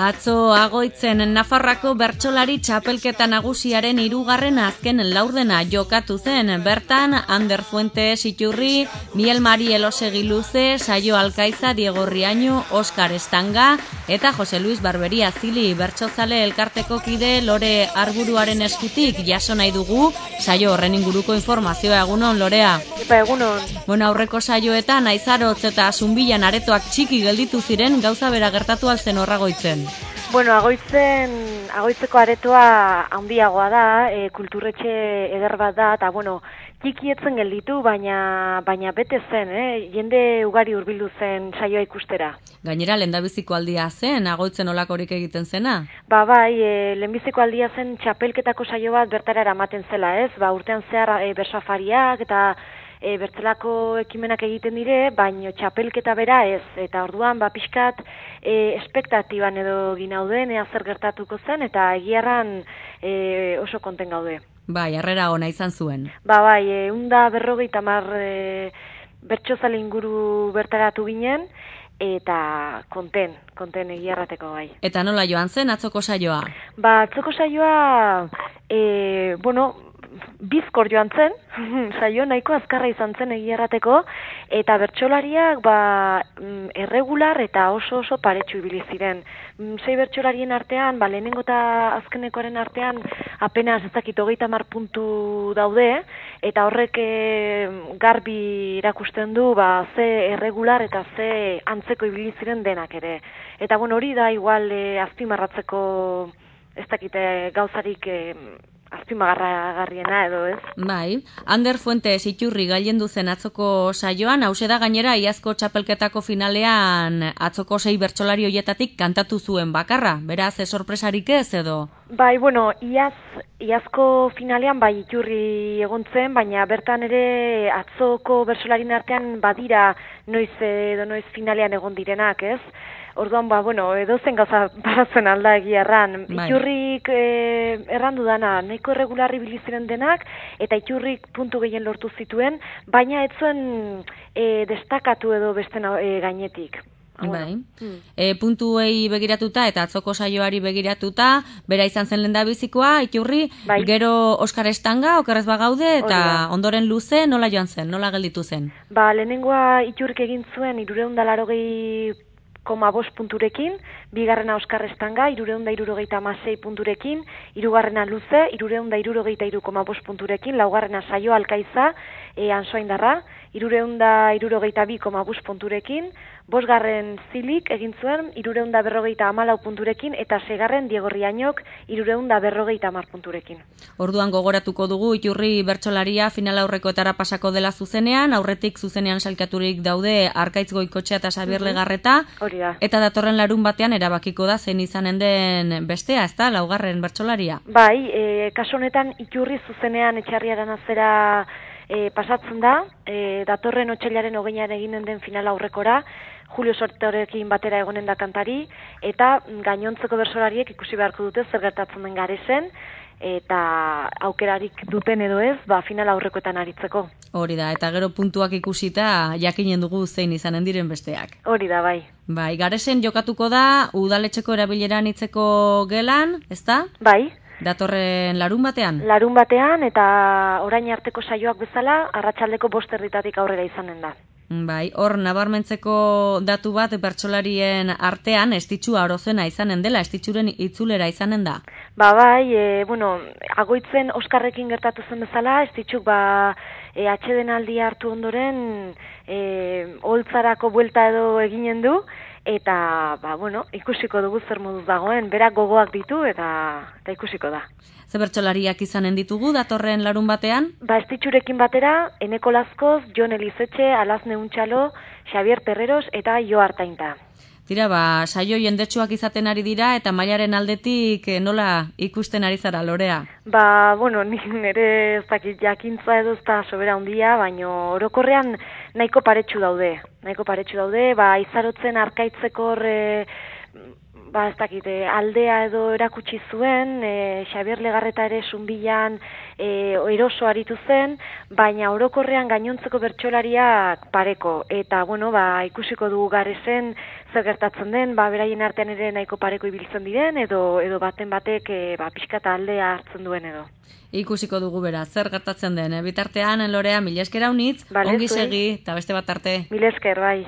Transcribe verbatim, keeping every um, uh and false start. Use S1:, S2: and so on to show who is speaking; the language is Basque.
S1: Atzo Agoitzen Nafarrako bertsolari txapelketa nagusiaren hirugarren azken laurdena jokatu zen. Bertan, Ander Fuentes Iturri, Miel Mari Elosegi Luze, Saio Alkaiza, Diego Riaño, Oskar Estanga eta Jose Luis Barberia Zili bertsozale elkarteko kide Lore Arburuaren eskutik jaso nahi dugu saio horren inguruko informazioa. Egunon, Lorea?
S2: Epa, egunon.
S1: Bueno, aurreko saioetan Aizarotz eta Zunbilan aretoak txiki gelditu ziren, gauza bera gertatu alzen horra Agoitzen.
S2: Bueno, Agoitzen, Agoitzeko aretoa handiagoa da, e, kulturretxe eder bat da, eta bueno, txikietzen gelditu, baina baina bete zen, eh? Jende ugari hurbildu zen saioa ikustera.
S1: Gainera, lehendabiziko aldia zen, Agoitzen olakorik egiten zena?
S2: Ba bai, e, lehenbiziko aldia zen txapelketako saio bat bertara eramaten zela, ez? Ba, urtean zehar e, bersafariak eta E, bertzelako ekimenak egiten dire, baino txapelketa bera ez, eta orduan ba pixkat e, espektatiban edo ginauden ea zer gertatuko zen, eta egiarran e, oso konten gaude.
S1: Bai, harrera ona izan zuen.
S2: Ba bai, e, unda berrogeita hamar e, bertsozale inguru bertaratu ginen, eta konten, konten egiarrateko bai.
S1: Eta nola joan zen atzoko saioa?
S2: Ba, atzoko saioa, e, bueno, bizkor joan zen, saio nahiko azkarra izan zen egiarrateko, eta bertsolariak ba, erregular eta oso oso paretsu ibili ziren. Sei bertsolarien artean, ba, lehenengo eta azkenekoaren artean, apenas ez dakit hogeita hamar puntu daude, eta horrek e, garbi irakusten du ba, ze erregular eta ze antzeko ibili ziren denak ere. Eta bueno, hori da igual e, azpimarratzeko ez dakite gauzarik e, azpimagarragarriena edo, ez?
S1: Bai, Ander Fuentes Iturri gailendu zen atzoko saioan, hause da gainera iazko txapelketako finalean atzoko sei bertsolari hoietatik kantatu zuen bakarra, beraz ez sorpresarik ez edo?
S2: Bai, bueno, iaz, iazko finalean bai Iturri egon zen, baina bertan ere atzoko bertsolarien artean badira noiz edo noiz finalean egon direnak, ez? Orduan, ba, bueno, edozen gauza baratzen alda egiarran. Bai. Iturrik e, errandu dana, nahiko erregularri biliziren denak, eta Iturrik puntu gehien lortu zituen, baina ez zuen e, destakatu edo beste e, gainetik.
S1: Bai. Hmm. E, puntuei begiratuta eta atzoko saioari begiratuta, bera izan zen lehendabizikoa, Iturri, bai. Gero Oskar Estanga, okerrez bagaude, eta ondoren Luze, nola joan zen, nola gelditu zen? Ba,
S2: lehenengoa Iturrik egin zuen, irureun da larogei koma bost punturekin, bigarrena Oskar Estanga, irureun da irurogeita hamasei punturekin, hirugarrena Luze, irureun da irurogeita hiru koma bost punturekin, laugarrena Saio Alkaiza, e, Ansoaindarra, irureun da irurogeita bi koma bost punturekin, bosgarren Zilik egin zuen, irureun da berrogeita hamalau punturekin, eta segarren Diego Riañok, irureun da berrogeita hamar punturekin.
S1: Orduan gogoratuko dugu, Iturri bertsolaria final aurrekoetara pasako dela zuzenean, aurretik zuzenean salkaturik daude Arkaitz Goikotxea eta Xabier Legarreta, eta datorren larun batean erabakiko da zein izanen den bestea, ez da, laugarren bertsolaria?
S2: Bai, e, kasu honetan Iturri zuzenean Etxarriaren azera e, pasatzen da, e, datorren otsailaren hogeian eginen den final aurrekora, Julio Sortorekin batera egonen da kantari, eta gainontzeko bertsolariek ikusi beharko dute zer gertatzen den Garesen, eta aukerarik duten edo ez, ba, final aurrekoetan aritzeko.
S1: Hori da, eta gero puntuak ikusita jakinen dugu zein izanen diren besteak.
S2: Hori da, bai.
S1: Bai, Garesen jokatuko da, udaletxeko erabileran itzeko gelan, ez da?
S2: Bai.
S1: Datorren larun batean?
S2: Larun batean, eta orain arteko saioak bezala, arratsaldeko bost erditatik aurrera izanen da.
S1: Bai, hor nabarmentzeko datu bat bertsolarien artean estitxua orozena izanen dela, estitxuren itzulera izanen da.
S2: Ba bai, e, bueno, Agoitzen Oskarrekin gertatu zen bezala, estitxuk ba e, atsedenaldia hartu ondoren e, holtzarako buelta edo eginen du, eta ba bueno, ikusiko dugu zer moduz dagoen, berak gogoak ditu eta eta ikusiko da.
S1: Ze bertsolariak izanen ditugu datorren larun batean?
S2: Ba, estitxurekin batera, Eneko Lazkoz, Jon Elizetxe, Alazne Untxalo, Xabier Terreros eta Jo Artainta.
S1: Tira, ba, saio jendetsuak izaten ari dira eta mailaren aldetik nola ikusten ari zara, Lorea?
S2: Ba, bueno, nire ez dakit jakintza edo ez da sobera handia, baino orokorrean nahiko paretsu daude. Nahiko paretsu daude, ba, Aizarotzen Arkaitzeko horre ba, ez dakit, e, aldea edo erakutsi zuen, e, Xabier Legarreta ere Sunbilan e, eroso aritu zen, baina orokorrean gainontzeko bertsolariak pareko. Eta, bueno, ba, ikusiko dugu Garesen zer gertatzen den, ba, beraien artean ere nahiko pareko ibiltzen diren, edo edo baten batek e, ba, pixka eta aldea hartzen duen edo.
S1: Ikusiko dugu bera, zer gertatzen den. Bitartean, Lorea, mila esker haunitz, ongi segi, eta beste bat arte.
S2: Mila esker, bai.